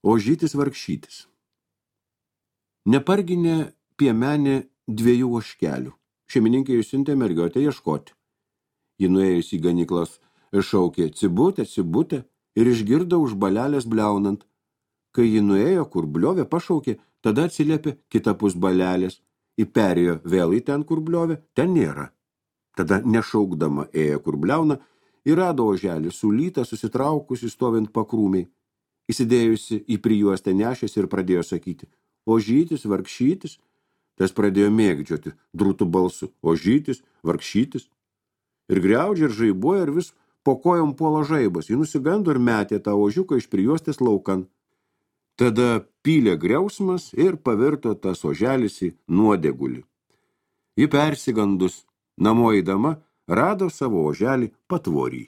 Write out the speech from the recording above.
Ožytis vargšytis. Neparginė piemenė 2 ožkelių. Šeimininkė išsiuntė mergiotę ieškoti. Ji nuėjus į ganyklas šaukė cibutė, cibutė ir išgirdo už balelės bliaunant. Kai ji nuėjo, kur bliovė, pašaukė, tada atsiliepė kitapus balelės. Įperėjo vėl į ten, kur bliovė, ten nėra. Tada nešaukdama ėjo, kur bliauna, ir rado oželį sulytą, susitraukusi stovint pakrūmiai. Įsidėjusi į prijuostę nešės ir pradėjo sakyti, ožytis, vargšytis. Tas pradėjo mėgdžioti drūtų balsu, ožytis, vargšytis. Ir griaudžia, ir žaibuoja, ir vis po kojom puola žaibas. Ji nusigando ir metė tą ožiuką iš prijuostės laukan. Tada pylė griausmas ir pavirto tas oželis į nuodėgulį. Ji persigandus, namo eidama, rado savo oželį patvorį.